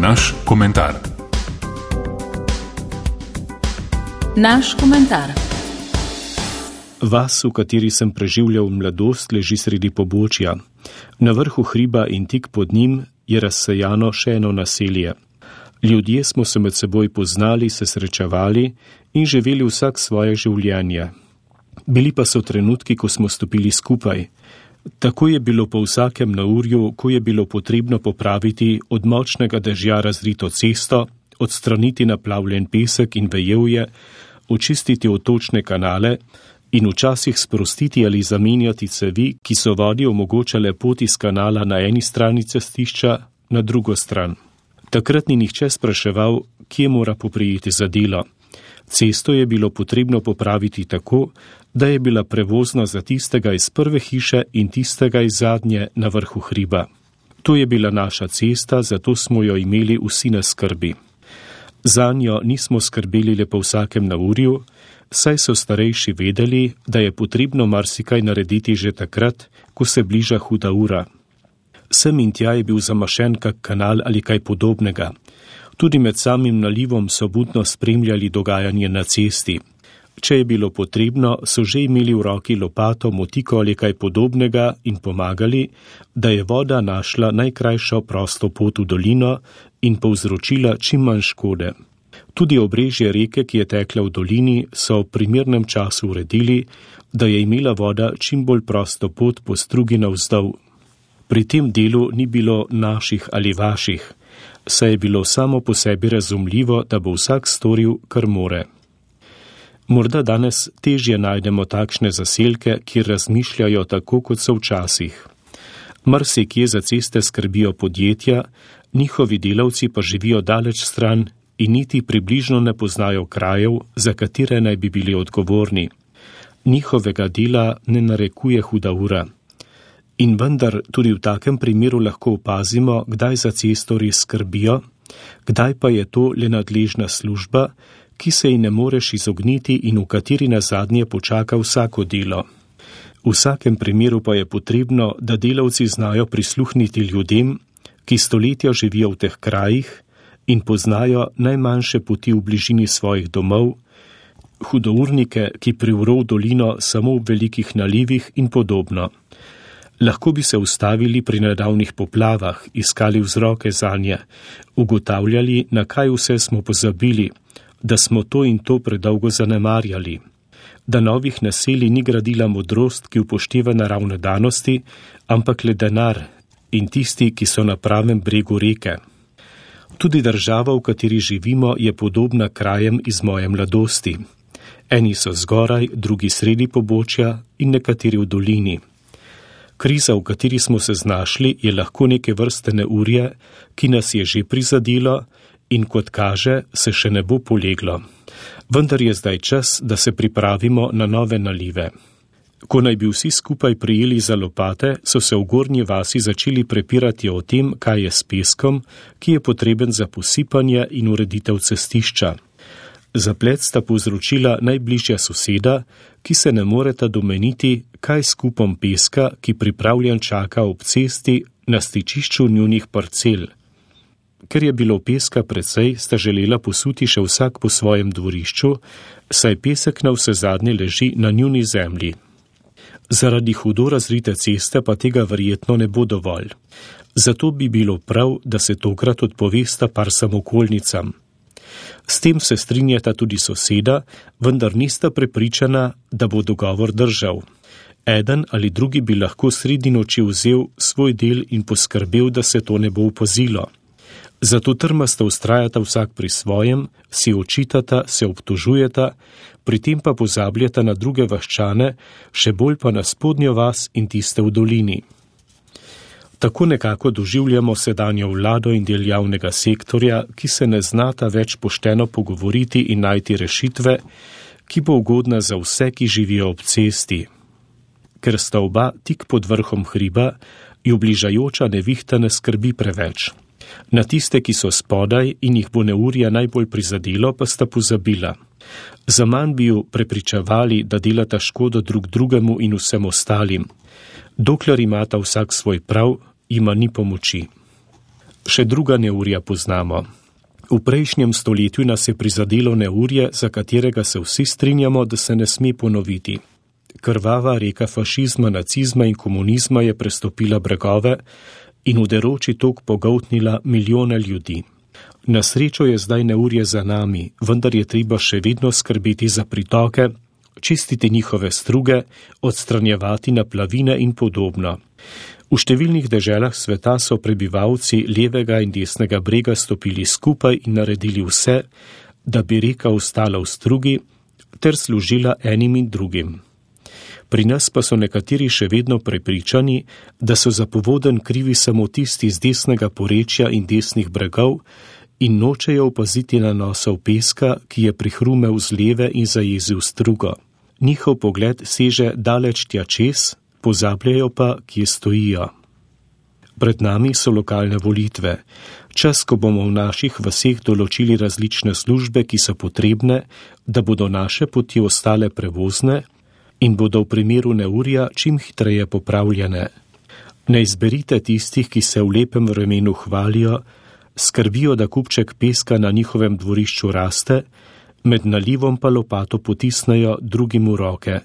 naš komentar. Naš komentar. Vas, v kateri sem preživljal mladost, leži sredi pobočja. Na vrhu hriba in tik pod njim je razsejano še eno naselje. Ljudje smo se med seboj poznali, se srečevali in živeli vsak svoje življenje. Bili pa so trenutki, ko smo stopili skupaj. Tako je bilo po vsakem naurju, ko je bilo potrebno popraviti od močnega dežja razrito cesto, odstraniti naplavljen pesek in vejevje, očistiti odtočne kanale in včasih sprostiti ali zamenjati cevi, ki so vodi omogočale pot iz kanala na eni strani cestišča, na drugo stran. Takrat ni nihče spraševal, kje mora poprijeti za delo. Cesto je bilo potrebno popraviti tako, da je bila prevozna za tistega iz prve hiše in tistega iz zadnje na vrhu hriba. To je bila naša cesta, zato smo jo imeli vsi na skrbi. Zanjo nismo skrbeli le po vsakem naurju, saj so starejši vedeli, da je potrebno marsikaj narediti že takrat, ko se bliža huda ura. Sem in tja je bil zamašen kak kanal ali kaj podobnega. Tudi med samim nalivom so budno spremljali dogajanje na cesti. Če je bilo potrebno, so že imeli v roki lopato, motiko ali kaj podobnega in pomagali, da je voda našla najkrajšo prosto pot v dolino in povzročila čim manj škode. Tudi obrežje reke, ki je tekla v dolini, so v primernem času uredili, da je imela voda čim bolj prosto pot po strugi navzdol. Pri tem delu ni bilo naših ali vaših, saj je bilo samo po sebi razumljivo, da bo vsak storil, kar more. Morda danes težje najdemo takšne zaselke, kjer razmišljajo tako, kot so včasih. Marsikje za ceste skrbijo podjetja, njihovi delavci pa živijo daleč stran in niti približno ne poznajo krajev, za katere naj bi bili odgovorni. Njihovega dela ne narekuje huda ura. In vendar tudi v takem primeru lahko opazimo, kdaj za cesto res skrbijo, kdaj pa je to le nadležna služba, ki se ji ne moreš izogniti in v kateri nazadnje počaka vsako delo. V vsakem primeru pa je potrebno, da delavci znajo prisluhniti ljudem, ki stoletja živijo v teh krajih in poznajo najmanjše poti v bližini svojih domov, hudournike, ki privro v dolino samo v velikih nalivih in podobno. Lahko bi se ustavili pri nedavnih poplavah, iskali vzroke zanje, ugotavljali, na kaj vse smo pozabili, da smo to in to predolgo zanemarjali, da novih naselij ni gradila modrost, ki upošteva naravne danosti, ampak le denar in tisti, ki so na pravem bregu reke. Tudi država, v kateri živimo, je podobna krajem iz moje mladosti. Eni so zgoraj, drugi sredi pobočja in nekateri v dolini. Kriza, v kateri smo se znašli, je lahko neke vrste neurje, ki nas je že prizadelo in kot kaže, se še ne bo poleglo. Vendar je zdaj čas, da se pripravimo na nove nalive. Ko naj bi vsi skupaj prijeli za lopate, so se v gornji vasi začeli prepirati o tem, kaj je s peskom, ki je potreben za posipanje in ureditev cestišča. Zaplet sta povzročila najbližja soseda, ki se ne moreta domeniti, kaj s kupom peska, ki pripravljen čaka ob cesti na stičišču njunih parcel. Ker je bilo peska precej, sta želela posuti še vsak po svojem dvorišču, saj pesek na vsezadnje leži na njuni zemlji. Zaradi hudo razrite ceste pa tega verjetno ne bo dovolj. Zato bi bilo prav, da se tokrat odpovesta par samokolnicam. S tem se strinjata tudi soseda, vendar nista prepričana, da bo dogovor držal. Eden ali drugi bi lahko sredi noči vzel svoj del in poskrbel, da se to ne bo opazilo. Zato trmasto vztrajata vsak pri svojem, si očitata, se obtožujeta, pri tem pa pozabljata na druge vaščane, še bolj pa na spodnjo vas in tiste v dolini. Tako nekako doživljamo sedanjo vlado in del javnega sektorja, ki se ne znata več pošteno pogovoriti in najti rešitve, ki bo ugodna za vse, ki živijo ob cesti. Ker sta oba tik pod vrhom hriba, jo bližajoča nevihta ne skrbi preveč. Na tiste, ki so spodaj in jih bo neurja najbolj prizadelo, pa sta pozabila. Zaman bi ju prepričevali, da delata škodo drug drugemu in vsem ostalim. Dokler imata vsak svoj prav, jima ni pomoči. Še druga neurja poznamo. V prejšnjem stoletju nas je prizadelo neurje, za katerega se vsi strinjamo, da se ne sme ponoviti. Krvava reka fašizma, nacizma in komunizma je prestopila bregove in v deroči tok pogoltnila milijone ljudi. Na srečo je zdaj neurje za nami, vendar je treba še vedno skrbeti za pritoke, čistiti njihove struge, odstranjevati naplavine in podobno. V številnih deželah sveta so prebivalci levega in desnega brega stopili skupaj in naredili vse, da bi reka ostala v strugi ter služila enim in drugim. Pri nas pa so nekateri še vedno prepričani, da so za povodenj krivi samo tisti z desnega porečja in desnih bregov in nočejo opaziti nanosov peska, ki je prihrumel z leve in zajezil strugo. Njihov pogled seže daleč tja čez, pozabljajo pa, kje stojijo. Pred nami so lokalne volitve. Čas, ko bomo v naših vaseh določili različne službe, ki so potrebne, da bodo naše poti ostale prevozne in bodo v primeru neurja čim hitreje popravljene. Ne izberite tistih, ki se v lepem vremenu hvalijo, skrbijo, da kupček peska na njihovem dvorišču raste, med nalivom pa lopato potisnejo drugim v roke.